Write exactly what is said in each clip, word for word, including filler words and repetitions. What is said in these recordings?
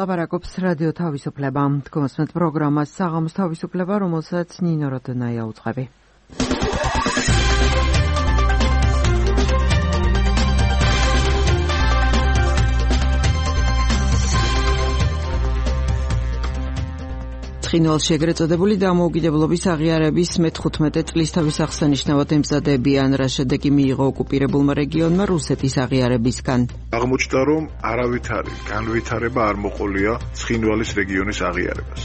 ლაპარაკობს რადიო თავისუფლება. თქვენს პროგრამას საღამოს თავისუფლება, რომელსაც ნინო როდნაია უძღვები. ცხინვალში ეგრეთ წოდებული დამოუკიდებლობის აღიარების მეთხუთმეტე წლისთავის აღსანიშნავად ემზადებიან, რა შედეგი მიიღო ოკუპირებულმა რეგიონმა რუსეთის აღიარებისგან. აღმოჩნდა, რომ არავითარი განვითარება არ მოყოლია ცხინვალის რეგიონის აღიარებას.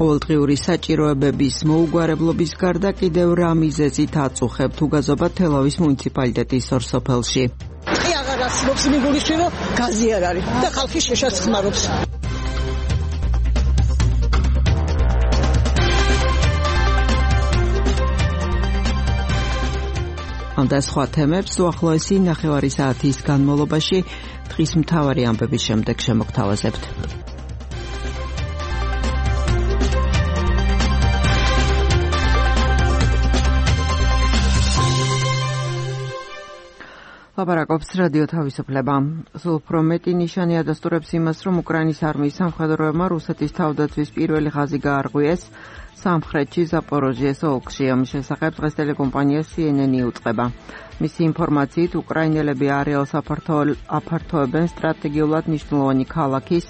ყოველდღიური საჭიროებების მოუგვარებლობის გარდა კიდევ რა მიზეზით აწუხებთ უგაზობა თელავის მუნიციპალიტეტის ორ სოფელში. კი აღარ არსებობს მიგულიში, რომ გაზი არ არის და ხალხი შეშად ხმარობს. ამ და სხვა თემებს უახლოესი ნახევარი საათის განმავლობაში დღის მთავარი ამბების შემდეგ შემოგთავაზებთ. ლაპარაკობს რადიო თავისუფლება. სულ უფრო მეტი ნიშანი ადასტურებს იმას, რომ უკრაინის არმიის სამხედროებმა რუსეთის თავდაცვის პირველი ხაზი გაარღვიეს სამხრეთში ზაპოროჟიეს ოლქში. ამის შესახებ დღეს ტელეკომპანია სი ენ ენი უწყება. მისი ინფორმაციით, უკრაინელები არეალს აფართოებენ სტრატეგიულად მნიშვნელოვანი ქალაქის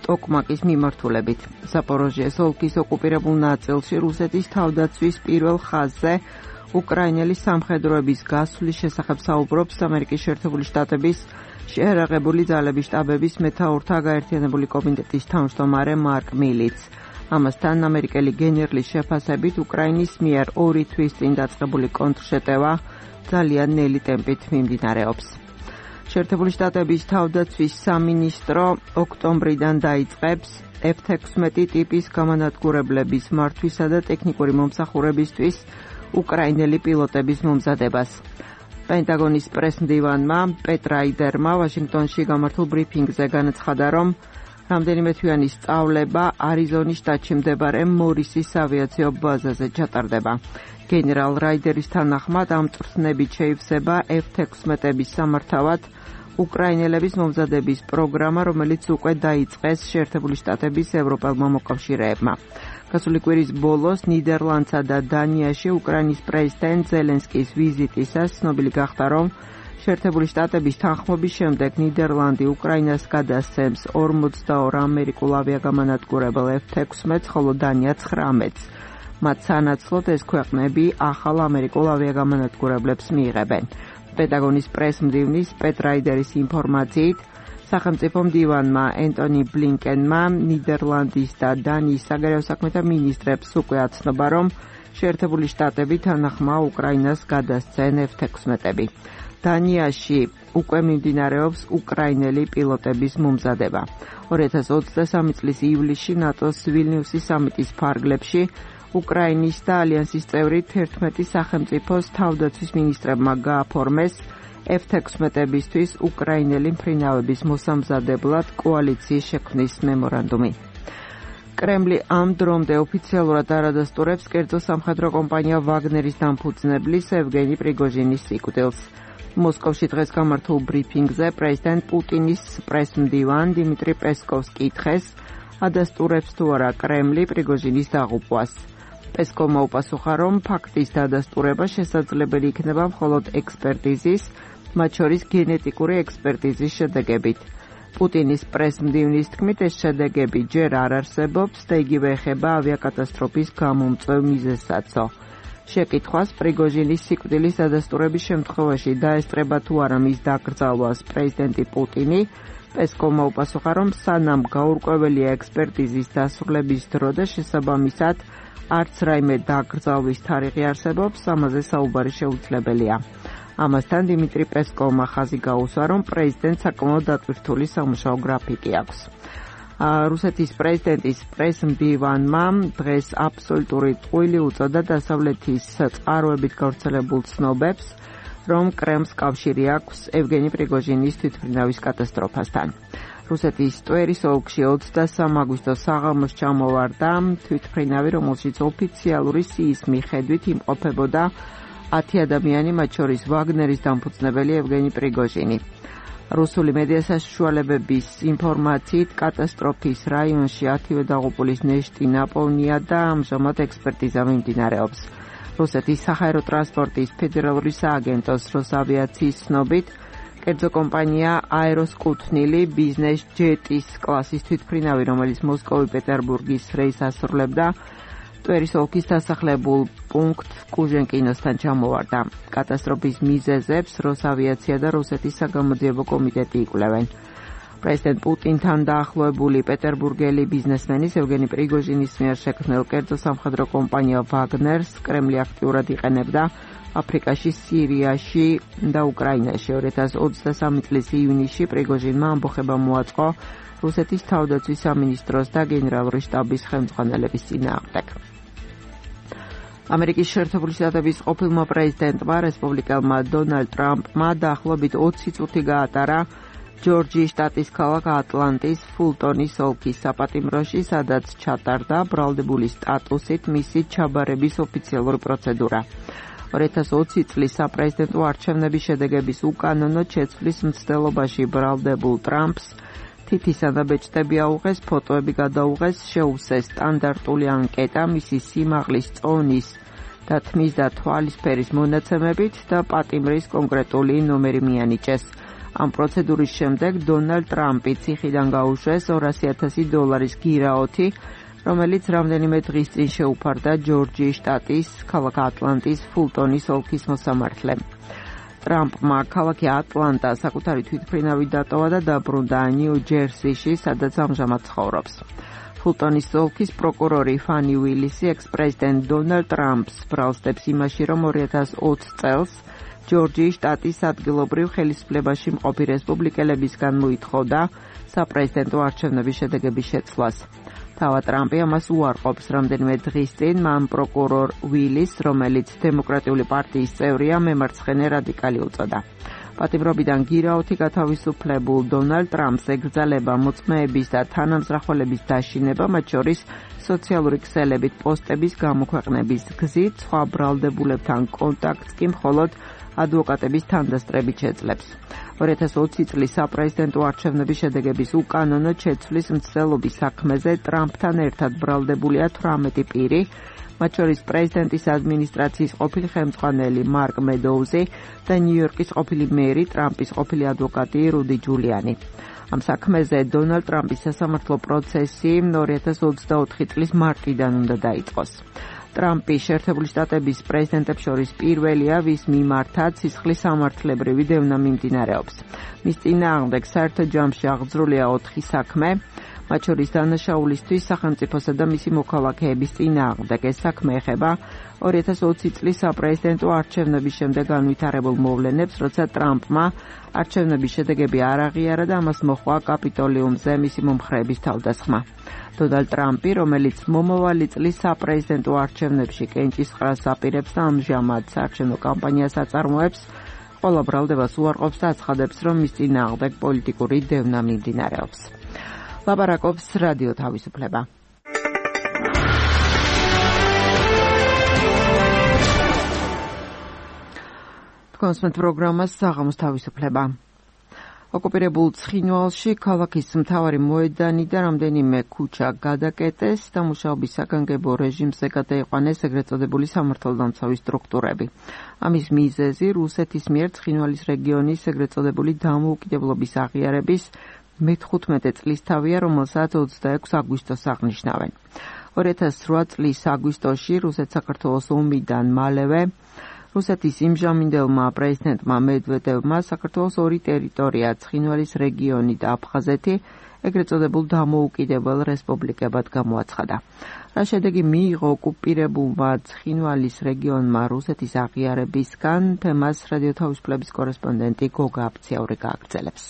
ტოკმაკის მიმართულებით. ზაპოროჟიეს ოლქის ოკუპირებულ ნაწილში რუსეთის თავდაცვის პირველ ხაზზე უკრაინელი სამხედროების გასვლის შესახებ საუბრობს ამერიკის შეერთებული შტატების შეერაღებული ძალების შტაბების მეთაურთა გაერთიანებული კომიტეტის თავმჯდომარე მარკ მილიც. ამასთან ამერიკელი გენერლის შეფასებით უკრაინის მიერ ორი თვის წინ დაწყებული კონტრშეტევა ძალიან ნელი ტემპით მიმდინარეობს. შეერთებული შტატების თავდაცვის სამინისტრო ოქტომბრიდან დაიწყებს ეფ ექვსმეტი ტიპის გამანადგურებლების მართვისა და ტექნიკური მომსახურებისთვის უკრაინელი პილოტების მომზადებას. პენტაგონის პრესმდივანმა პეტ რაიდერმა ვაშინგტონში გამართულ ბრიფინგზე განაცხადა, რომ რამდენიმე თვიანი სწავლება არიზონის შტატში მდებარე მორისის ავიაციო ბაზაზე ჩატარდება. გენერალ რაიდერის თანახმად ამ წვრთნებით შეივსება ეფ ექვსმეტების სამართავად უკრაინელების მომზადების პროგრამა, რომელიც უკვე დაიწყეს შეერთებული შტატების ევროპელმა მოკავშირეებმა. გასული კვირის ბოლოს ნიდერლანდსა და დანიაში უკრაინის პრეზიდენტ ზელენსკის ვიზიტისას ცნობილი გახდა, რომ შეერთებული შტატების თანხმობის შემდეგ ნიდერლანდი უკრაინას გადასცემს ორმოცდაორ ამერიკულ ავიაგამანადგურებელ ეფ ექვსმეტს, ხოლო დანია ცხრამეტს. მათ სანაცვლოდ ეს ქვეყნები ახალ ამერიკულ ავიაგამანადგურებლებს მიიღებენ. პენტაგონის პრესმდივნის პეტ რაიდერის ინფორმაციით, სახელმწიფო მდივანმა ენტონი ბლინკენმა ნიდერლანდის და დანიის საგარეო საქმეთა მინისტრებს უკვე აცნობა, რომ შეერთებული შტატები თანახმა უკრაინას გადასცენ ეფ ექვსმეტები. დანიაში უკვე მიმდინარეობს უკრაინელი პილოტების მომზადება. ორი ათას ოცდასამი წლის ივლისში ნატოს ვილნიუსის სამიტის ფარგლებში უკრაინის და ალიანსის წევრი თერთმეტი სახელმწიფოს თავდაცვის მინისტრებმა გააფორმეს ეფ ექვსმეტებისთვის უკრაინელი მფრინავების მოსამზადებლად კოალიციის შექმნის მემორანდუმი. კრემლი ამ დრომდე ოფიციალურად არ ადასტურებს კერძო სამხედრო კომპანია ვაგნერის დამფუძნებლის ევგენი პრიგოჟინის სიკვდილს. მოსკოვში დღეს გამართულ ბრიფინგზე პრეზიდენტ პუტინის პრესმდივან დიმიტრი პესკოვს კითხეს, ადასტურებს თუ არა კრემლი პრიგოჟინის დაღუპვას. პესკოვმა უპასუხა, რომ ფაქტის დადასტურება შესაძლებელი იქნება მხოლოდ ექსპერტიზის, მათ შორის გენეტიკური ექსპერტიზის შედეგებით. პუტინის პრესმდივნის თქმით, ეს შედეგები ჯერ არ არსებობს და იგივე ეხება ავიაკატასტროფის გამომწვევ მიზეზსაცო. შეკითხვას პრიგოჟინის სიკვდილის დადასტურების შემთხვევაში დაესწრება თუ არა მის დაკრძალვას პრეზიდენტი პუტინი, პესკოვმა უპასუხა, რომ სანამ გაურკვეველია ექსპერტიზის დასრულების დრო და შესაბამისად არც რაიმე დაკრძალვის თარიღი არსებობს, ამაზე საუბარი შეუძლებელია. ამასთან დიმიტრი პესკოვმა ხაზი გაუსვა, რომ პრეზიდენტს საკმაოდ დატვირთული სამუშაო გრაფიკი აქვს. რუსეთის პრეზიდენტის პრესმდივანმა დღეს აბსოლუტური ტყუილი უწოდა დასავლეთის წყაროებით გავრცელებულ ცნობებს, რომ კრემლს კავშირი აქვს ევგენი პრიგოჟინის თვითმფრინავის კატასტროფასთან. რუსეთის ტვერის ოლქში ოცდასამი აგვისტოს საღამოს ჩამოვარდა თვითმფრინავი, რომელშიც ოფიციალური სიის მიხედვით იმყოფებოდა ათი ადამიანი, მათ შორის ვაგნერის დამფუძნებელი ევგენი პრიგოჟინი. რუსული მედია საშუალებების ინფორმაციით კატასტროფის რაიონში ათივე დაღუპულის ნეშტი ნაპოვნია და ამჟამად ექსპერტიზა მიმდინარეობს. რუსეთის საჰაერო ტრანსპორტის ფედერალური სააგენტოს როსავიაციის ცნობით, კერძო კომპანია აეროსკუთნილი ბიზნეს ჯეტის კლასის თვითმფრინავი, რომელიც მოსკოვი-პეტერბურგის რეისს ასრულებდა, ტვერის ოლქის დასახლებულ პუნქტ კუჟენკინოსთან ჩამოვარდა. კატასტროფის მიზეზებს როსავიაცია და რუსეთის საგამოძიებო კომიტეტი იკვლევენ. პრეზიდენტ პუტინთან დაახლოებული პეტერბურგელი ბიზნესმენის ევგენი პრიგოჟინის მიერ შექმნილ კერძო სამხედრო კომპანია ვაგნერს კრემლი აქტიურად იყენებდა აფრიკაში, სირიაში და უკრაინაში. ორი ათას ოცდასამი წლის ივნისში პრიგოჟინმა ამბოხება მოაწყო რუსეთის თავდაცვის სამინისტროს და გენერალური შტაბის ხელმძღვანელების წინააღმდეგ. ამერიკის შეერთებული შტატების ყოფილმა პრეზიდენტმა, რესპუბლიკელმა დონალდ ტრამპმა დაახლოებით ოცი წუთი გაატარა ჯორჯიის შტატის ქალაქ ატლანტის ფულტონის ოლქის საპატიმროში, სადაც ჩატარდა ბრალდებული სტატუსით მისი ჩაბარების ოფიციალური პროცედურა. ორი ათას ოცი წლის საპრეზიდენტო არჩევნების შედეგების უკანონოდ შეცვლის მცდელობაში ბრალდებულ ტრამპს თითისა და ბეჭდები აუღეს, ფოტოები გადაუღეს, შეუვსეს სტანდარტული ანკეტა მისი სიმაღლის, წონის და თმის და თვალის ფერის მონაცემებით და პატიმრის კონკრეტული ნომერი მიანიჭეს. ამ პროცედურის შემდეგ დონალდ ტრამპი ციხიდან გაუშვეს ორასი ათასი დოლარის გირაოთი, რომელიც რამდენიმე დღის წინ შეუფარდა ჯორჯიის შტატის ქალაქ ატლანტის ფულტონის ოლქის მოსამართლემ. ტრამპმა ქალაქი ატლანტა საკუთარი თვითმფრინავი დატოვა და დაბრუნდა ნიუ-ჯერსიში, სადაც ამჟამად ცხოვრობს. ფულტონის ოლქის პროკურორი ფანი უილისი ექს-პრეზიდენტ დონალდ ტრამპს ბრალსდებს იმაში, რომ ორი ათას ოცი წელს ჯორჯიის შტატის ადგილობრივ ხელისუფლებაში მყოფი რესპუბლიკელებისგან მოითხოვდა საპრეზიდენტო არჩევნების შედეგების შეცვლას. თავად ტრამპი ამას უარყოფს. რამდენიმე დღის წინ მან პროკურორ უილის, რომელიც დემოკრატიული პარტიის წევრია, მემარცხენე რადიკალი უწოდა. პატიმრობიდან გირაოთი გათავისუფლებულ დონალდ ტრამპს ეკრძალება მოწმეების და თანამზრახველების დაშინება, მათ შორის სოციალური ქსელებით პოსტების გამოქვეყნების გზით, სხვა ბრალდებულებთან კონტაქტს კი მხოლოდ ადვოკატების თანდასწრებით შეძლებს. ორი ათას ოცი წლის საპრეზიდენტო არჩევნების შედეგების უკანონოდ შეცვლის მცდელობის საქმეზე ტრამპთან ერთად ბრალდებულია თვრამეტი პირი, მათ შორის პრეზიდენტის ადმინისტრაციის ყოფილი ხელმძღვანელი მარკ მედოუზი და ნიუ-იორკის ყოფილი მერი, ტრამპის ყოფილი ადვოკატი რუდი ჯულიანი. ამ საქმეზე დონალდ ტრამპის სასამართლო პროცესი ორი ათას ოცდაოთხი წლის მარტიდან უნდა დაიწყოს. ტრამპი შეერთებული შტატების პრეზიდენტებს შორის პირველია, ვის მიმართაც სისხლის სამართლებრივი დევნა მიმდინარეობს. მის წინააღმდეგ საერთო ჯამში აღძრულია ოთხი საქმე, მათ შორის დანაშაულისთვის სახელმწიფოსა და მისი მოქალაქეების წინააღმდეგ. ეს საქმე ეხება ორი ათას ოცი წლის საპრეზიდენტო არჩევნების შემდეგ განვითარებულ მოვლენებს, როცა ტრამპმა არჩევნების შედეგები არ აღიარა და ამას მოჰყვა კაპიტოლიუმზე მისი მომხრეების თავდასხმა. დონალდ ტრამპი, რომელიც მომავალი წლის საპრეზიდენტო არჩევნებში კენჭისყრას აპირებს და ამჟამად საარჩევნო კამპანიას აწარმოებს, ყველა ბრალდებას უარყოფს და აცხადებს, რომ მის წინააღმდეგ პოლიტიკური დევნა მიმდინარეობს. ლაპარაკობს რადიო თავისუფლება. თქვენს პროგრამას საღამოს თავისუფლება. ოკუპირებულ ცხინვალში ქალაქის მთავარი მოედანი და რამდენიმე ქუჩა გადაკეტეს და მუშაობის საგანგებო რეჟიმზე გადაიყვანეს ეგრეთ წოდებული სამართალდამცავი სტრუქტურები. ამის მიზეზი რუსეთის მიერ ცხინვალის რეგიონის ეგრეთ წოდებული დამოუკიდებლობის აღიარების მეთხუთმეტე წლისთავია, რომელსაც ოცდაექვსი აგვისტოს აღნიშნავენ. ორი ათას რვა წლის აგვისტოში რუსეთ-საქართველოს ომიდან მალევე რუსეთის იმჟამინდელმა პრეზიდენტმა მედვედევმა საქართველოს ორი ტერიტორია, ცხინვალის რეგიონი და აფხაზეთი, ეგრეთ წოდებულ დამოუკიდებელ რესპუბლიკებად გამოაცხადა. რა შედეგი მიიღო ოკუპირებულმა ცხინვალის რეგიონმა რუსეთის აღიარებისგან, თემას რადიო თავისუფლების კორესპონდენტი გოგა აფციური გააგრძელებს.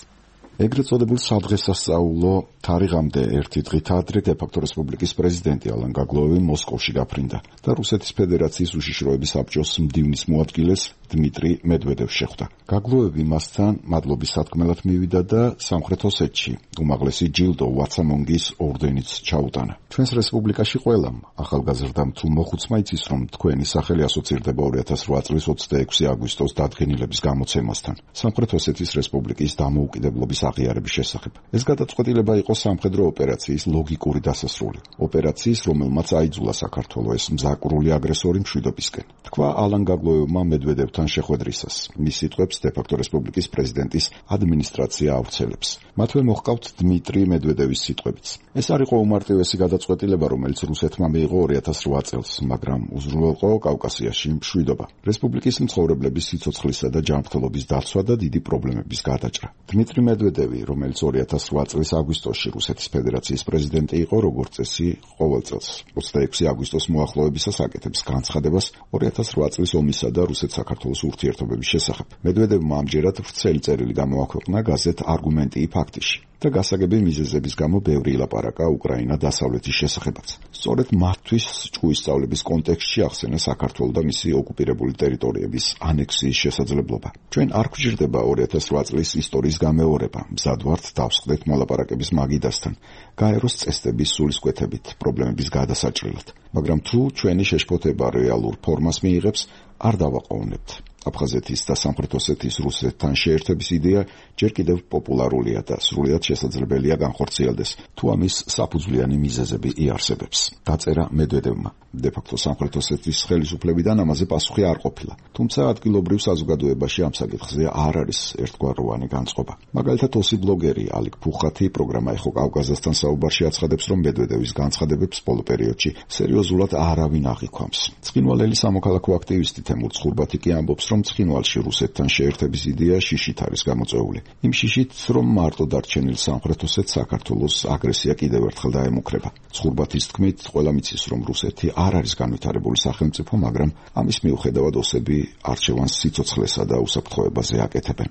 ეგრეთ წოდებულ სადღესასწაულო თარიღამდე ერთი დღით ადრე დე-ფაქტო რესპუბლიკის პრეზიდენტი ალან გაგლოევი მოსკოვში გაფრინდა და რუსეთის ფედერაციის უშიშროების საბჭოს მდივნის მოადგილეს დმიტრი მედვედევს შეხვდა. გაგლოევი მასთან მადლობის სათქმელად მივიდა და სამხრეთ ოსეთში უმაღლესი ჯილდო ვაცამონგის ორდენიც ჩაუტანა. ჩვენს რესპუბლიკაში ყველამ ახალგაზრდამ თუ მოხუცმა იცის, რომ თქვენი სახელი ასოცირდება ორი ათას რვა წლის ოცდაექვსი აგვისტოს დადგენილების გამოცემასთან, სამხრეთ ოსეთის რესპუბლიკის დამოუკიდებლობის აღიარების შესახებ. ეს გადაწყვეტილება იყო სამხედრო ოპერაციის ლოგიკური დასასრული. ოპერაციის, რომელმაც აიძულა საქართველო ეს მზაკვრული აგრესორი მშვიდობისკენ. თქვა ალან გაგლოევმა მედვედევთან შეხვედრისას. მის სიტყვებს დე-ფაქტო რესპუბლიკის პრეზიდენტის ადმინისტრაცია ავრცელებს. მათვე მოჰყავთ დმიტრი მედვედევის სიტყვებიც. ეს არ იყო უმარტივესი გადაწყვეტილება, რომელიც რუსეთმა მიიღო ორი ათას რვა წელს, მაგრამ უზრუნველყო კავკასიაში მშვიდობა, რესპუბლიკის მცხოვრებლების სიცოცხლისა და ჯანმრთელობის დაცვა და დიდი პრობლემების გადაჭრა. დმიტრი მედვედევი, რომელიც ორი ათას რვა წლის აგვისტოში რუსეთის ფედერაციის პრეზიდენტი იყო, როგორც წესი ყოველ წელს ოცდაექვსი აგვისტოს მოახლოებისას აკეთებს განცხადებას ორი ათას რვა წლის ომისა და რუსეთ-საქართველოს ურთიერთობების შესახებ. მედვედევმა ამჯერად ვრცელი წერილი გამოაქვეყნა გაზეთ არგუმენტი ფაქტიში და გასაგები მიზეზების გამო ბევრი ილაპარაკა უკრაინა დასავლეთის შესახებაც. სწორედ მათთვის ჭკუის სწავლების კონტექსტში ახსენა საქართველოს და მისი ოკუპირებული ტერიტორიების ანექსიის შესაძლებლობა. ჩვენ არ გვჭირდება ორი ათას რვა წლის ისტორიის გამეორება, მზად ვართ დავსხდეთ მოლაპარაკების მაგიდასთან, გაეროს წესდების სულისკვეთებით, პრობლემების გადასაჭრელად. მაგრამ თუ ჩვენი შეშფოთება რეალურ ფორმას მიიღებს, არ დავაყოვნებთ. აფხაზეთის და სამხრეთ ოსეთის რუსეთთან შეერთების იდეა ჯერ კიდევ პოპულარულია და სრულიად შესაძლებელია განხორციელდეს, თუ ამის საფუძვლიანი მიზეზები იარსებებს. დაწერა მედვედევმა. დე-ფაქტო სამხრეთ osეთის ხელისუფლებიდან ამაზე პასუხი არ ყოფილა. თუმცა ადგილობრივ საზოგადოებაში ამ საკითხზე არ არის ერთგვაროვანი განწყობა. მაგალითად, ოსი ბლოგერი ალიკ ფუხათი პროგრამა ეხო კავკასიასთან საუბარში აცხადებს, რომ მედვედევის განცხადებებს ბოლო პერიოდში სერიოზულად არავინ აღიქვამს. ცხინვალელი სამოქალაქო აქტივისტი თემურ ცხურბათი კი ამბობს, რომ ცხინვალში რუსეთთან შეერთების იდეა შიშით არის გამოწვეული. იმ შიშით, რომ მარტო დარჩენილ სამხრეთ ოსეთს საქართველოს აგრესია კიდევ ერთხელ დაემუქრება. ცხურბათის თქმით, ყველა მიცის, რომ რუსეთი არ არის განვითარებული სახელმწიფო, მაგრამ ამის მიუხედავად ოსები არჩევანს სიცოცხლესა და უსაფრთხოებაზე აკეთებენ.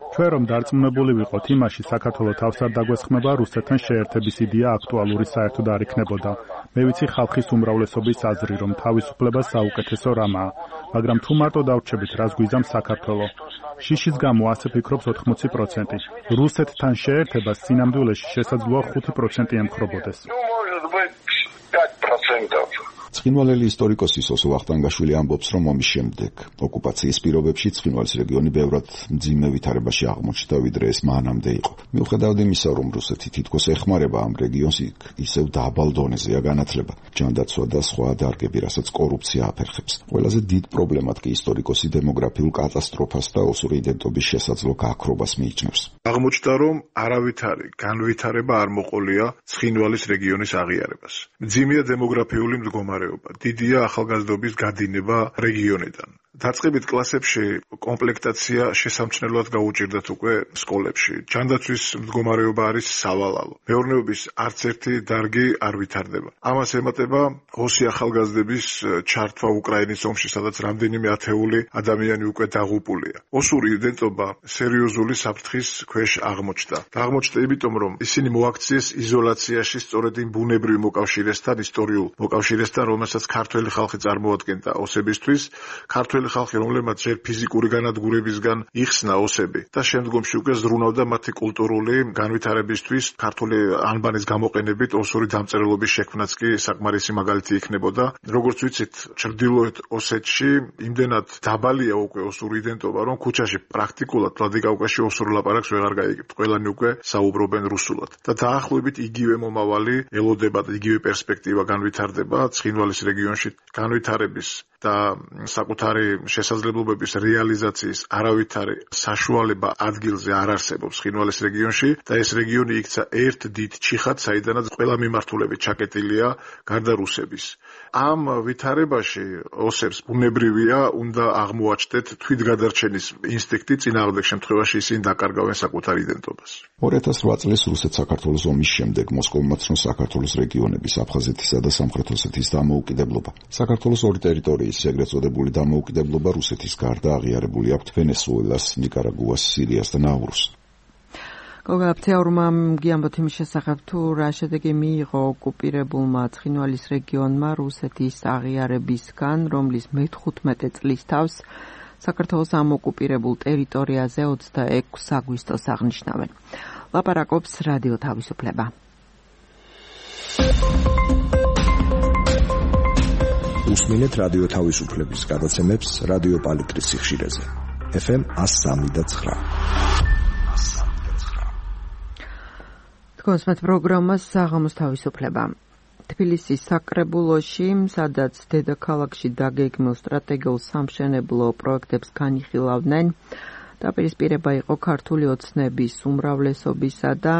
ჩვენ რომ დარწმუნებული ვიყოთ იმაში, საქართველოს თავს არ დაგვესხმება, რუსეთთან შეერთების იდეა აქტუალური საერთოდ არ იქნებოდა. მე ვიცი ხალხის უმრავლესობის აზრი, რომ თავისუფლება საუკეთესო რამაა, მაგრამ თუ მარტო დავრჩებით, რას გვიზამს საქართველოს. შიშის გამო ასე ფიქრობს ოთხმოცი პროცენტი. რუსეთთან შეერთებას სინამდვილეში შესაძლოა ხუთი პროცენტი ემხრობოდეს. ცხინვალელი ისტორიკოსი სოსო ვახტანგაშვილი ამბობს, რომ ომის შემდეგ ოკუპაციის პირობებში ცხინვალის რეგიონი ბევრად მძიმე ვითარებაში აღმოჩნდა, ვიდრე ეს მანამდე იყო. მიუხედავად იმისა, რომ რუსეთი თითქოს ეხმარება ამ რეგიონს, ისევ დაბალ დონეზეა განათლება, ჯანდაცვა და სხვა დარგები, რასაც კორუფცია აფერხებს. ყველაზე დიდ პრობლემად კი ისტორიკოსი დემოგრაფიულ კატასტროფას და ოსური იდენტობის შესაძლო გაქრობას მიიჩნევს. აღმოჩნდა, რომ არავითარი განვითარება არ მოყოლია ცხინვალის რეგიონის აღიარებას. მძიმეა დემოგრაფიული მდგომარეობა. დიდია ახალგაზრდობის გადინება რეგიონიდან. დაწყებით კლასებში კომპლექტაცია შესამჩნევად გაუჭირდათ უკვე სკოლებში. ჯანდაცვის მდგომარეობა არის სავალალო. მეურნეობის არც ერთი დარგი არ ვითარდება. ამას ემატება ოსი ახალგაზრდების ჩართვა უკრაინის ომში, სადაც რამდენიმე ათეული ადამიანი უკვე დაღუპულია. ოსური იდენტობა სერიოზული საფრთხის ქვეშ აღმოჩნდა. აღმოჩნდა იმიტომ, რომ ისინი მოაქციეს იზოლაციაში სწორედ იმ ბუნებრივ მოკავშირესთან, ისტორიულ მოკავშირესთან, რომელსაც ქართველი ხალხი წარმოადგენდა ოსებისთვის, ქართველი ხალხი, რომლებმაც ჯერ ფიზიკური განადგურებისგან იხსნა ოსები და შემდგომში უკვე ზრუნავდა მათი კულტურული განვითარებისთვის, ქართული ანბანის გამოყენებით ოსური დამწერლობის შექმნაც კი საკმარისი მაგალითი იქნებოდა. როგორც ვიცით, ჩრდილოეთ ოსეთში იმდენად დაბალია უკვე ოსური იდენტობა, რომ ქუჩაში პრაქტიკულად ვლადიკავკაზში ოსურ ლაპარაკს ვეღარ გაიგებთ. ყველანი უკვე საუბრობენ რუსულად. და დაახლოებით იგივე მომავალი ელოდება და იგივე პერსპექტივა განვითარდება ცხინვალის რეგიონში განვითარების და საკუთარი შესაძლებლობების რეალიზაციის არავითარი საშუალება ადგილზე არ არსებობს ცხინვალის რეგიონში და ეს რეგიონი იქცა ერთ დიდ ჩიხად, საიდანაც ყველა მიმართულებით ჩაკეტილია გარდა რუსების. ამ ვითარებაში ოსებს ბუნებრივია უნდა აღმოაჩნდეთ თვითგადარჩენის ინსტინქტი, წინააღმდეგ შემთხვევაში ისინი დაკარგავენ საკუთარ იდენტობას. ორი ათას რვა წლის რუსეთ-საქართველოს ომის შემდეგ მოსკოვმა ცნო საქართველოს რეგიონების აფხაზეთისა და სამხრეთ ოსეთის დამოუკიდებლობა. საქართველოს ორი ტერიტორიის ეგრეთ წოდებული დამოუკიდებლობა რუსეთის გარდა აღიარებული აქვთ ვენესუელას, ნიკარაგუას, სირიას და ნაურუს. გოგაფცეურმა გიამბოთ იმის შესახებ თუ რა შედეგი მიიღო ოკუპირებულმა ცხინვალის რეგიონმა რუსეთის აღიარებისგან, რომლის მეთხუთმეტე წლის თავს საქართველოს ამ ოკუპირებულ ტერიტორიაზე ოცდაექვსი აგვისტოს აღნიშნავენ. ლაპარაკობს რადიო თავისუფლება. უსმინეთ რადიო თავისუფლების გადაცემებს რადიო პალიტრის სიხშირეზე. ეფ ემ one oh three point nine. თქვენს პროგრამას საღამოს თავისუფლება. თბილისის საკრებულოში, სადაც დედაქალაქში დაგეგმილ სტრატეგიულ სამშენებლო პროექტებს განიხილავდნენ, დაპირისპირება იყო ქართული ოცნების უმრავლესობისა და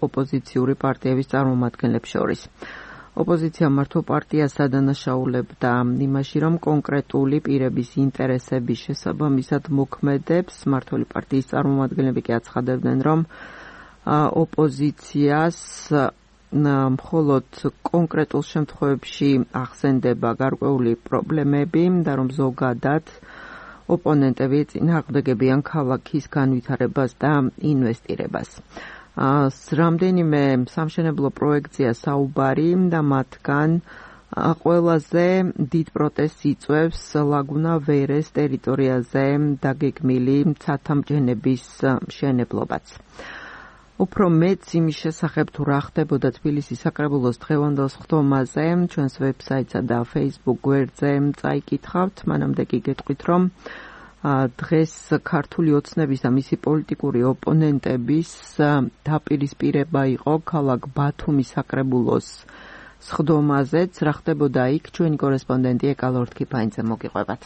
ოპოზიციური პარტიების წარმომადგენლებს შორის. ოპოზიცია მართო პარტიას ადანაშაულებდა იმაში, რომ კონკრეტული პირების ინტერესების შესაბამისად მოქმედებს. მართული პარტიის წარმომადგენლები კი აცხადებდნენ, რომ ოპოზიციას მხოლოდ კონკრეტულ შემთხვევებში ახსენდება გარკვეული პრობლემები და რომ ზოგადად ოპონენტები წინააღმდეგებიან ქალაქის განვითარებას და ინვესტირებას. რამდენიმე სამშენებლო პროექტზეა საუბარი და მათგან ყველაზე დიდ პროტესტს იწვევს ლაგუნა ვერეს ტერიტორიაზე დაგეგმილი ცათამბჯენების მშენებლობაც. უფრო მეც იმის შესახებ თუ რა ხდებოდა თბილისის საკრებულოს დღევანდელ სხდომაზე ჩვენს ვებსაიტსა და Facebook გვერდზე წაიკითხავთ. მანამდე კი გეტყვით, რომ დღეს ქართული ოცნების და მისი პოლიტიკური ოპონენტების დაპირისპირება იყო ქალაქ ბათუმის საკრებულოს სხდომაზეც. რა ხდებოდა იქ, ჩვენი კორესპონდენტი ეკალა ორთქიფანიძე მოგიყვებათ.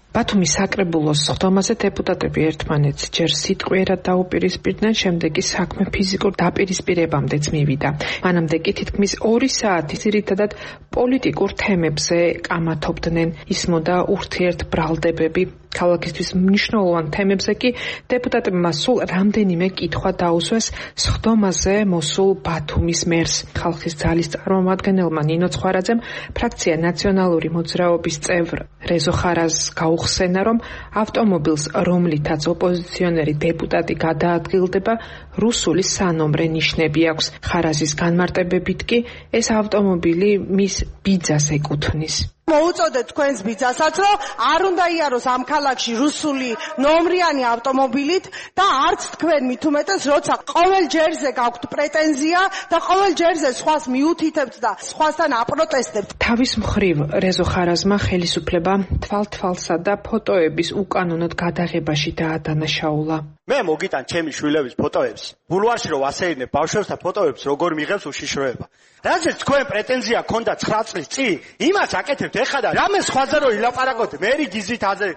ბათუმის საკრებულოს სხდომაზე დეპუტატები ერთმანეთს ჯერ სიტყვიერად დაუპირისპირდნენ, შემდეგ კი საქმე ფიზიკურ დაპირისპირებამდეც მივიდა. მანამდე კი თითქმის ორი საათი ძირითადად პოლიტიკურ თემებზე კამათობდნენ, ისმოდა ურთიერთბრალდებები. ქალაქისთვის მნიშვნელოვან თემებზე კი დეპუტატებმა სულ რამდენიმე კითხვა დაუსვეს სხდომაზე მოსულ ბათუმის მერს. ხალხის ძალის წარმომადგენელმა ნინო ცხვარაძემ ფრაქცია ნაციონალური მოძრაობის წევრ რეზო ხარაზს გაუხსენა, რომ ავტომობილს, რომლითაც ოპოზიციონერი დეპუტატი გადაადგილდება, რუსული სანომრე ნიშნები აქვს. ხარაზის განმარტებებით კი ეს ავტომობილი მის ბიძას ეკუთვნის. მოუწოდეთ თქვენს ბიძასაც, რომ არ უნდა იაროს ამ ქალაქში რუსული ნომრიანი ავტომობილით და არც თქვენ მით უმეტეს, როცა ყოველ ჯერზე გაქვთ პრეტენზია და ყოველ ჯერზე სხვას მიუთითებთ და სხვასთან აპროტესტებთ. თავის მხრივ რეზო ხარაზმა ხელისუფლება თვალთვალსა და ფოტოების უკანონოდ გადაღებაში დაადანაშაულა. მე მოგიტან ჩემი შვილების ფოტოებს. ბულვარში რომ ასეირნებ ბავშვებს და ფოტოებს როგორ მიღებს უშიშროება. რაზეც თქვენ პრეტენზია ქონდა ცხრა წლის წინ, იმას აკეთებთ ეხლა და რამე სხვაზე რო ილაპარაკოთ, მერი გიზით აზე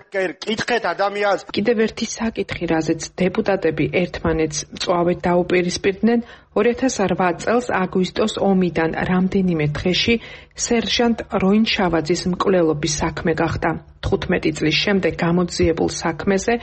კითხეთ ადამიანს. კიდევ ერთი საკითხი, რაზეც დეპუტატები ერთმანეთს მწვავედ დაუპირისპირდნენ, ორი ათას ოთხ წელს აგვისტოს ომიდან რამდენიმე დღეში სერჟანტ როინ შავაძის მკვლელობის საქმე გახდა. თხუთმეტი წლის შემდეგ გამოძიებულ საქმეზე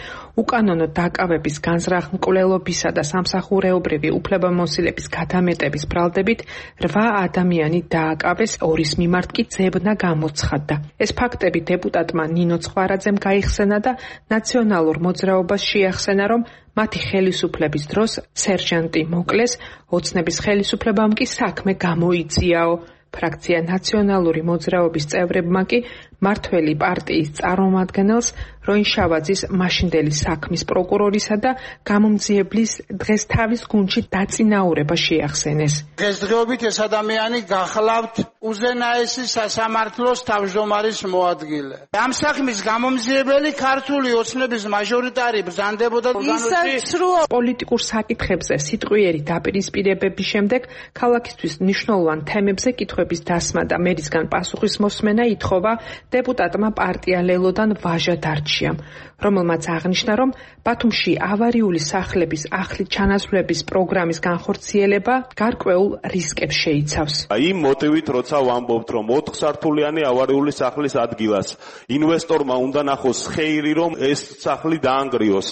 უკანონო დაკავების განზრახ მკვლელობისა და სამსახურეობრივი უფლებამოსილების გადამეტების ბრალდებით რვა ადამიანი დააკავეს, ორის მიმართ კი ძებნა გამოცხადდა. ეს ფაქტები დეპუტატმა ნინო ცხვარაძემ გაიხსენა და ნაციონალურ მოძრაობას შეახსენა, რომ მათი ხელისუფლების დროს სერჟანტი მოკლეს, ოცნების ხელისუფლებამ კი საქმე გამოიწიაო. ფრაქცია ნაციონალური მოძრაობის წევრებმა კი მართველი პარტიის წარმომადგენელს როინ შავაძის მაშინდელი საქმის პროკურორისა და გამომძიებლის დღეს თავის გუნდში დაწინაურება შეახსენეს. დღესდღეობით ეს ადამიანი გახლავთ უზენაესი სასამართლოს თავმჯდომარის მოადგილე. ამ საქმის გამომძიებელი ქართული ოცნების მაჟორიტარი ბრძანდებოდა ორგანოში. პოლიტიკურ საკითხებზე სიტყვიერი დაპირისპირებების შემდეგ ქალაქისთვის მნიშვნელოვან თემებზე კითხვების დასმა და მერისგან პასუხის მოსმენა ითხოვა დეპუტატმა პარტია ლელოდან ვაჟა დარჩიამ, რომელმაც აღნიშნა, რომ ბათუმში ავარიული სახლების ახლით ჩანაცვლების პროგრამის განხორციელება გარკვეულ რისკებს შეიცავს. იმ მოტივით, როცა ვამბობთ, რომ ოთხსართულიანი ავარიული სახლის ადგილას ინვესტორმა უნდა ნახოს ხეირი, რომ ეს სახლი დაანგრიოს.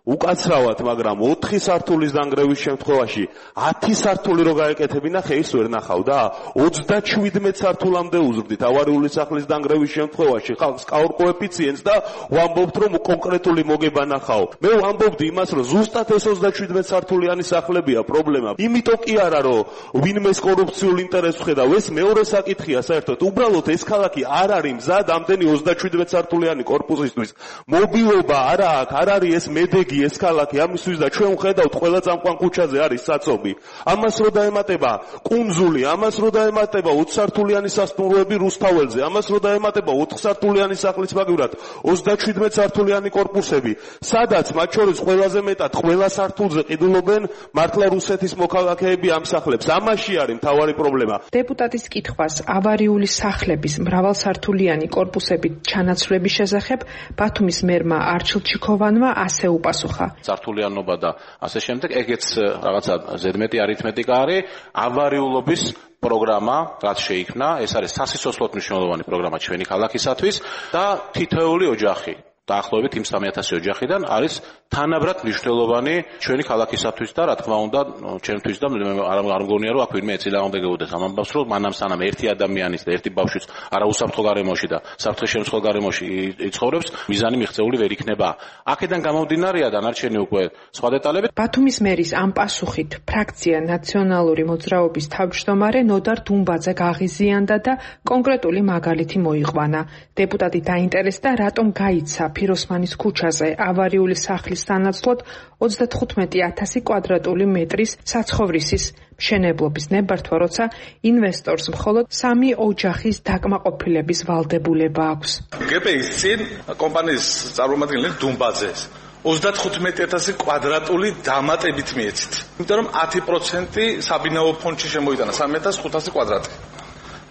უკაცრავად, მაგრამ ოთხი სართულის დანგრევის შემთხვევაში ათი სართული რო გაეკეთებინა, ხეის ვერ ნახავდა. ოცდაშვიდმეტ სართულამდე უზრდით ავარიული სახლის დანგრევის შემთხვევაში ხალხს კაურ კოეფიციენტს და ვამბობთ, რომ კონკრეტული მოგება ნახავ. მე ვამბობდი იმას, რომ ზუსტად ეს ოცდაშვიდმეტ სართულიანი სახლებია პრობლემა. იმიტომ კი არა, რომ ვინმეს კორუფციულ ინტერესს ხედავ, ეს მეორე საკითხია საერთოდ. უბრალოდ ეს ქალაქი არ არის მზად ამდენი ოცდაშვიდმეტ სართულიანი კორპუსისთვის. მობილობა არა აქვს, არ არის ეს მედეგი ეს ქალაქი, ამისთვის და ჩვენ ვხედავთ ყველა წამყვან ქუჩაზე არის საწობი. ამას რო დაემატება კუნძული, ამას რო დაემატება ოც სართულიანი სასტუმროები რუსთაველზე, ამას რო დაემატება ოთხ სართულიანი სახლის მაგივრად ოცდაშვიდმეტ სართულიანი კორპუსები, სადაც მათ შორის ყველაზე მეტად ყველა სართულზე ყიდულობენ მართლა რუსეთის მოქალაქეები ამ სახლებს. ამაში არის მთავარი პრობლემა. დეპუტატის კითხვას ავარიული სახლების მრავალსართულიანი კორპუსებით ჩანაცვლების შესახებ ბათუმის მერმა არჩილ ჩიქოვანმა ასე უპასუხა. სართულიანობა და ასე შემდეგ, ეგეც რაღაცა ზედმეტი არითმეტიკა არის. ავარიულობის პროგრამა, რაც შეიქმნა, ეს არის სასიცოცხლოდ მნიშვნელოვანი პროგრამა ჩვენი ქალაქისათვის და თითოეული ოჯახი დაახლოებით იმ სამი ათასი ოჯახიდან არის თანაბრად მნიშვნელოვანი ჩვენი ქალაქისათვის და რა თქმა უნდა ჩვენთვის და არ არ მგონია რომ აქ ვინმე ეწინააღმდეგებოდეს ამ ამბავს, რომ მანამ სანამ ერთი ადამიანის და ერთი ბავშვის არა უსაფრთხო გარემოში და საფრთხის შემცველ გარემოში იცხოვრებს, მიზანი მიღწეული ვერ იქნება. აქედან გამომდინარეა დანარჩენი უკვე სხვა დეტალები. ბათუმის მერის ამ პასუხით ფრაქცია ნაციონალური მოძრაობის თავმჯდომარე ნოდარ დუმბაძე გაღიზიანდა და კონკრეტული მაგალითი მოიყვანა. დეპუტატი დაინტერესდა, რატომ გაიცა ფიროსმანის ქუჩაზე ავარიული სახლის სანაცვლოდ ოცდათხუთმეტი ათასი კვადრატული მეტრის საცხოვრისის მშენებლობის ნებართვა, როცა ინვესტორს მხოლოდ სამი ოჯახის დაკმაყოფილების ვალდებულება აქვს. გე პე ის წინ კომპანიის წარმომადგენელი დუმბაძეს ოცდათხუთმეტი ათასი კვადრატული დამატებით მიეცით. იმიტომ რომ ათი პროცენტი საბინაო ფონდში შემოიტანა სამი ათას ხუთასი კვადრატი.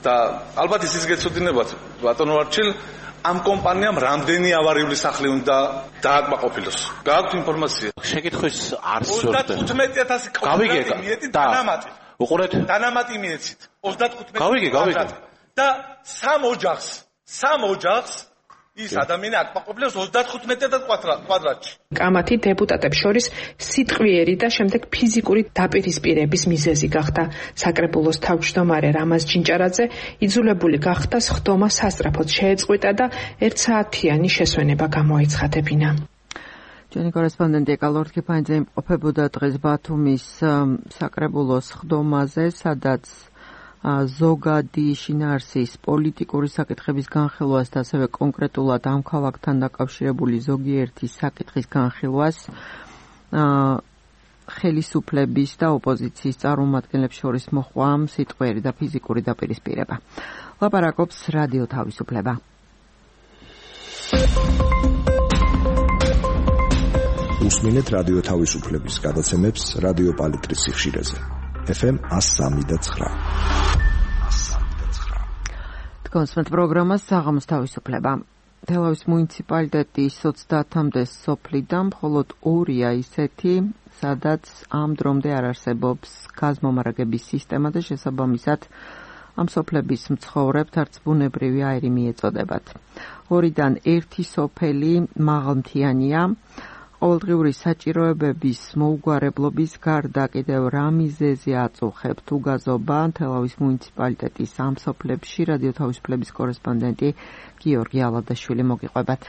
და ალბათ ისიც გეცოდინებათ, ბატონო არჩილ, ამ კომპანიამ რამდენი ავარიული სახლი უნდა დააკმაყოფილოს? გააქვთ ინფორმაცია? შეკითხვის არ სურდა. ოცდათხუთმეტი ათასი კვადრატი მიეცით დანამატი. უყურეთ? დანამატი მიეცით. ოცდათხუთმეტი გავიგე, გავიგე. და სამ ოჯახს, სამ ოჯახს ის ადამიანი აკმაყოფილებს ოცდათხუთმეტი ათას კვადრატში. კამათი დეპუტატებს შორის სიტყვიერი და შემდეგ ფიზიკური დაპირისპირების მიზეზი გახდა. საკრებულოს თავმჯდომარე რამაზ ჯინჭარაძე იძულებული გახდა სხდომა სასწრაფოდ შეეწყვიტა და ერთსაათიანი შესვენება გამოეცხადებინა. ჩვენი კორესპონდენტი ეკალორთ კიფაინძე იმყოფებოდა დღეს ბათუმის საკრებულოს სხდომაზე, სადაც ზოგადი შინაარსის პოლიტიკური საკითხების განხილვას და ასევე კონკრეტულად ამ ქალაქთან დაკავშირებული ზოგიერთი საკითხის განხილვას ხელისუფლების და ოპოზიციის წარმომადგენლებს შორის მოხდა სიტყვიერი და ფიზიკური დაპირისპირება. ლაპარაკობს რადიო თავისუფლება. უსმინეთ რადიო თავისუფლების გადაცემებს რადიო პალიტრის სიხშირეზე. ეფ ემ ას სამი და ცხრა. კონსმეთ პროგრამას საღამოს თავისუფლება. თელავის მუნიციპალიტეტის ოცდაათამდე სოფლიდან მხოლოდ ორია ისეთი, სადაც ამ დრომდე არ არსებობს გაზმომარაგების სისტემა და შესაბამისად ამ სოფლების მცხოვრებთ არც ბუნებრივი აირი მიეწოდებათ. ორიდან ერთი სოფელი მაღალმთიანია. ყოველდღიური საჭიროებების მოუგვარებლობის გარდა კიდევ რა მიზეზი აწუხებთ უგაზობა თელავის მუნიციპალიტეტის ამ სოფლებში რადიო თავისუფლების კორესპონდენტი გიორგი ალადაშვილი მოგიყვებათ.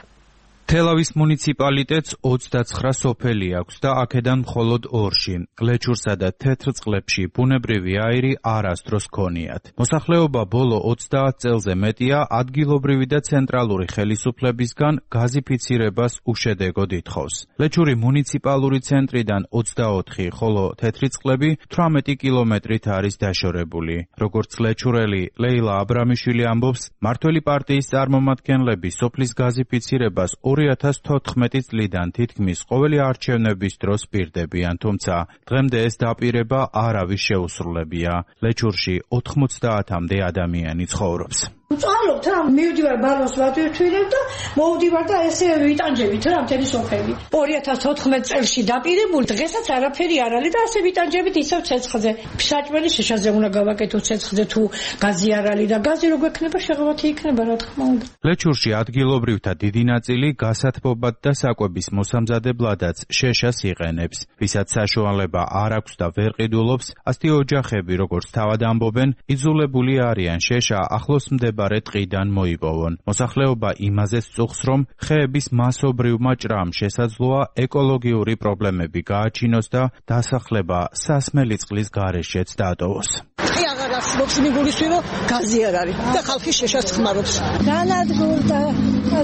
თელავის მუნიციპალიტეტს ოცდაცხრა სოფელი აქვს და აქედან მხოლოდ ორში, ლეჩურსა და თეთრწყლებში ბუნებრივი აირი არასდროს ჰქონიათ. მოსახლეობა ბოლო ოცდაათ წელზე მეტია ადგილობრივი და ცენტრალური ხელისუფლებისგან გაზიფიცირებას უშედეგოდ ითხოვს. ლეჩური მუნიციპალური ცენტრიდან ოცდაოთხი, ხოლო თეთრწყლები თვრამეტი კილომეტრით არის დაშორებული. როგორც ლეჩურელი ლეილა აბრამიშვილი ამბობს, მართველი პარტიის წარმომადგენლები სოფლის გაზიფიცირებას ორი ათას თოთხმეტი წლიდან თითქმის ყოველი არჩევნების დროს პირდებიან, თუმცა დღემდე ეს დაპირება არავის შეუსრულებია. ლეჩურში ოთხმოცდაათამდე ადამიანი ცხოვრობს. უწვავ ვსწავლობთ რა, მივდივარ ბალონს ვატვირთვირებ და მოვდივარ და ესე ვიტანჯებით რა მთელი სოფელი. ორი ათას ოთხმეტ წელს დაპირებული დღესაც არაფერი არ არის და ასე ვიტანჯებით ისევ ცეცხლზე. საჭმელი შეშაზე უნდა გავაკეთოთ ცეცხლზე თუ გაზი არ არის და გაზი რო გვექნება შეღავათი იქნება რა თქმა უნდა. ლეჩურში ადგილობრივთა დიდი ნაწილი გასათბობად და საკვების მოსამზადებლადაც შეშას იყენებს. ვისაც საშუალება არ აქვს და ვერ ყიდულობს, ასეთი ოჯახები, როგორც თავად ამბობენ, იძულებული არიან შეშა ახლოს მდებარე ტყიდან მოიპოვონ. მოსახლეობა იმაზეც წუხს, რომ ხეების მასობრივმა ჭრამ შესაძლოა ეკოლოგიური პრობლემები გააჩინოს და დასახლება სასმელი წყლის გარეშეც დატოვოს. კი აღარ არსებობს მიგულისვე რომ გაზი არ არის და ხალხი შეშას ხმარობს. განადგურდა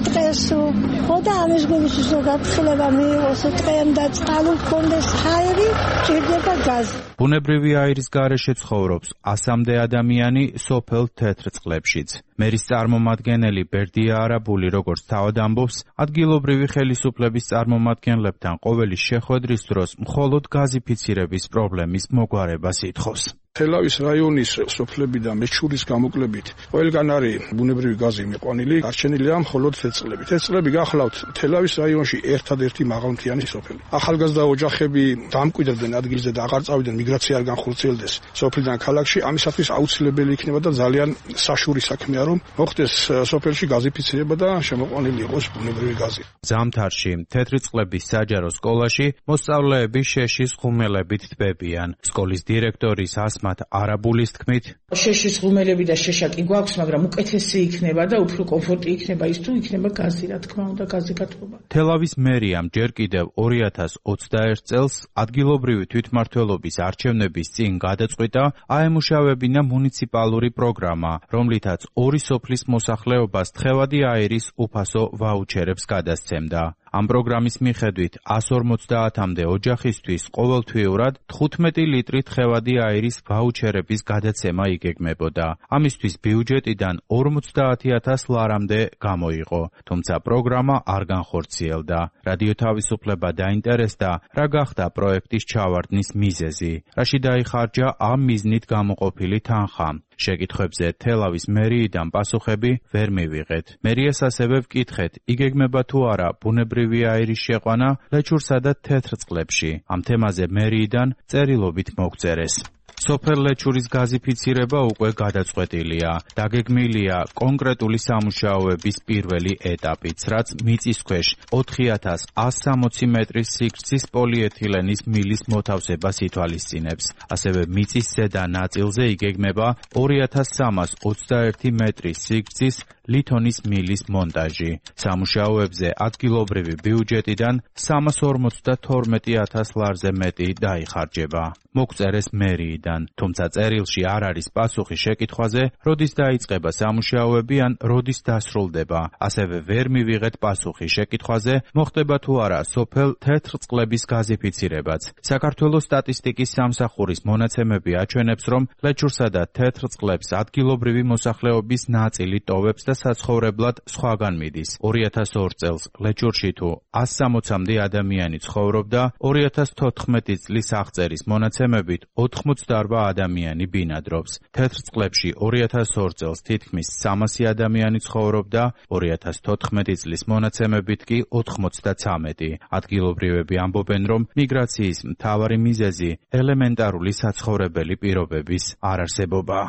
დღესო ხო და ამის გულისვე რომ გაფრთხილება მიიღოს ტყემ და წყალი გქონდეს ჰაერი ჭირდება გაზი. ბუნებრივი აირის გარეშე ცხოვრობს ასამდე ადამიანი სოფელ თეთრ წყლებშიც. მერის წარმომადგენელი ბერდია არაბული როგორც თავად ამბობს, ადგილობრივი ხელისუფლების წარმომადგენლებთან ყოველი შეხვედრის დროს მხოლოდ გაზიფიცირების პრობლემის მოგვარებას ითხოვს. თელავის რაიონის სოფლებიდან მეჩურის გამოკლებით ყველგან არის ბუნებრივი გაზი მიყვანილი, არჩენილია მხოლოდ თეთრწყლები. თეთრწყლები გახლავთ თელავის რაიონში ერთადერთი მაღალმთიანი სოფელი. ახალგაზრდა ოჯახები დამკვიდრდნენ ადგილზე და აღარ წავიდნენ მიგრაცია არ განხორციელდეს სოფლიდან ქალაქში. ამისათვის აუცილებელი იქნება და ძალიან საშური საქმეა რომ მოხდეს სოფელში გაზიფიცირება და შემოყვანილი იყოს ბუნებრივი გაზი. ზამთარში თეთრწყლების საჯარო სკოლაში მოსწავლეები შეშის ხუმელებით თბებიან. სკოლის დირექტორის ასმათ არაბულის თქმით, შეშის ხუმელები და შეშა კი გვაქვს, მაგრამ უკეთესი იქნება და უფრო კომფორტი იქნება ის თუ იქნება გაზი, რა თქმა უნდა, გაზი გათბობა. თელავის მერიამ ჯერ კიდევ ორი ათას ოცდაერთ წელს ადგილობრივი თვითმმართველობის არჩევნების წინ გადაწყვიტა აემუშავებინა მუნიციპალური პროგრამა, რომლითაც ორი სოფლის მოსახლეობას თხევადი აირის უფასო ვაუჩერებს გადასცემდა. ამ პროგრამის მიხედვით ას ორმოცდაათამდე ოჯახისთვის ყოველთვიურად თხუთმეტი ლიტრი თხევადი აირის ვაუჩერების გადაცემა იგეგმებოდა. ამისთვის ბიუჯეტიდან ორმოცდაათი ათას ლარამდე გამოიყო, თუმცა პროგრამა არ განხორციელდა. რადიო თავისუფლება დაინტერესდა, რა გახდა პროექტის ჩავარდნის მიზეზი, რაში დაიხარჯა ამ მიზნით გამოყოფილი თანხა. შეკითხვებზე თელავის მერიიდან პასუხები ვერ მივიღეთ. მერიას ასევე ვკითხეთ, იგეგმება თუ არა ბუნებრივი აირის შეყვანა ლეჩურსა და თეთრწყლებში. ამ თემაზე მერიიდან წერილობით მოგწერეს. სოფელ ლეჩურის გაზიფიცირება უკვე გადაწყვეტილია. დაგეგმილია კონკრეტული სამუშაოების პირველი ეტაპიც, რაც მიწისქვეშ ოთხი ათას ას სამოცი მეტრის სიგრძის პოლიეთილენის მილის მოთავსებას ითვალისწინებს. ასევე მიწის ზედა ნაწილზე იგეგმება ორი ათას სამას ოცდაერთი მეტრის სიგრძის ლითონის მილის მონტაჟი. სამუშაოებზე ადგილობრივი ბიუჯეტიდან სამას ორმოცდათორმეტი ათას ლარზე მეტი დაიხარჯება. მოგწერეს მერიიდან, თუმცა წერილში არ არის პასუხი შეკითხვაზე, როდის დაიწყება სამუშაოები ან როდის დასრულდება. ასევე ვერ მივიღეთ პასუხი შეკითხვაზე, მოხდება თუ არა სოფელ თეთრწყლების გაზიფიცირებაც. საქართველოს სტატისტიკის სამსახურის მონაცემები აჩვენებს, რომ ლეჩურსა და თეთრწყლებს ადგილობრივი მოსახლეობის ნაწილი ტოვებს და საცხოვრებლად სხვაგან მიდის. ორი ათას ორ წელს ლეჩურში თუ ას სამოცამდე ადამიანი ცხოვრობდა, ორი ათას თოთხმეტი წლის აღწერის მონაცემებით ოთხმოცდაორ ადამიანი ბინადრობს. თეთრწყლებში ორი ათას ორ წელს თითქმის სამასი ადამიანი ცხოვრობდა, ორი ათას თოთხმეტი წლის მონაცემებით კი ოთხმოცდაცამეტი. ადგილობრივები ამბობენ, რომ მიგრაციის მთავარი მიზეზი ელემენტარული საცხოვრებელი პირობების არარსებობაა.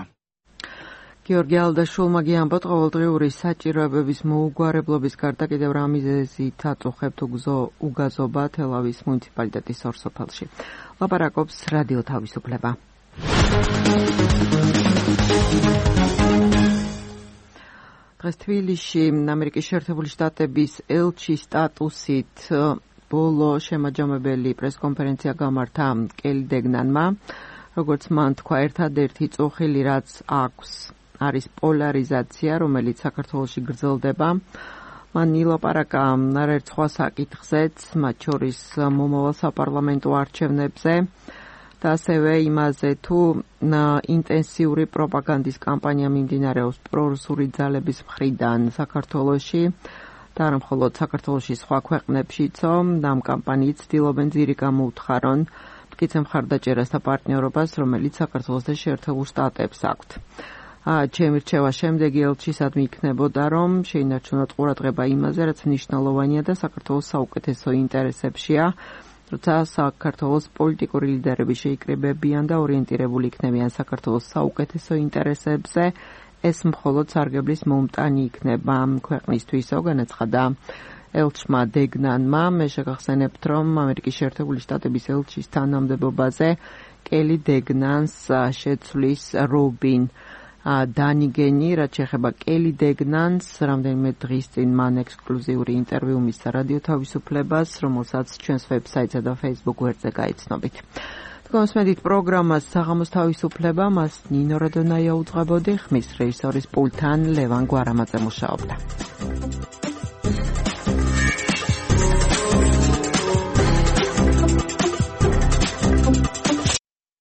გიორგი ალდაშულმა გიამბოთ ყოველდღიური საჭიროებების მოუგვარებლობის გარდა კიდევ რა მიზეზით აწუხებთ უგაზობა თელავის მუნიციპალიტეტის ორ სოფელში. ლაპარაკობს რადიო თავისუფლება. დღეს თბილისში ამერიკის შეერთებული შტატების ელჩის სტატუსით ბოლო შემაჯამებელი პრესკონფერენცია გამართა კელი დეგნანმა, როგორც მან თქვა, ერთადერთი წუხილი რაც აქვს არის პოლარიზაცია, რომელიც საქართველოში გრძელდება. მან ილაპარაკა არაერთ სხვა საკითხზეც, მათ შორის მომავალ საპარლამენტო არჩევნებზე და ასევე იმაზე, თუ ინტენსიური პროპაგანდის კამპანია მიმდინარეობს პრორუსული ძალების მხრიდან საქართველოში და არა მხოლოდ საქართველოში, სხვა ქვეყნებშიცო. ამ კამპანიით ცდილობენ ძირი გამოუთხარონ მტკიცე მხარდაჭერას და პარტნიორობას, რომელიც საქართველოს და შეერთებულ შტატებს აქვთ. ჩემი რჩევა შემდეგი ელჩისადმი იქნებოდა, რომ შეინარჩუნოთ ყურადღება იმაზე, რაც მნიშვნელოვანია და საქართველოს საუკეთესო ინტერესებშია, როცა საქართველოს პოლიტიკური ლიდერები შეიკრიბებიან და ორიენტირებული იქნებიან საქართველოს საუკეთესო ინტერესებზე, ეს მხოლოდ სარგებლის მომტანი იქნება ქვეყნისთვისო, განაცხადა ელჩმა დეგნანმა. მე შეგახსენებთ, რომ ამერიკის შეერთებული შტატების ელჩის თანამდებობაზე კელი დეგნანს შეცვლის რობინ დანიგენი, რაც შეეხება კელი დეგნანს, რამდენიმე დღის წინ მან ექსკლუზიური ინტერვიუ მისცა რადიო თავისუფლებას, რომელსაც ჩვენს ვებსაიტსა და Facebook გვერდზე გაიცნობით. თქვენსმედით პროგრამას საღამოს თავისუფლება, მას ნინო რადონაია უძღვებოდი, ხმის რეჟისორის პულტთან ლევან გვარამაძე მუშაობდა.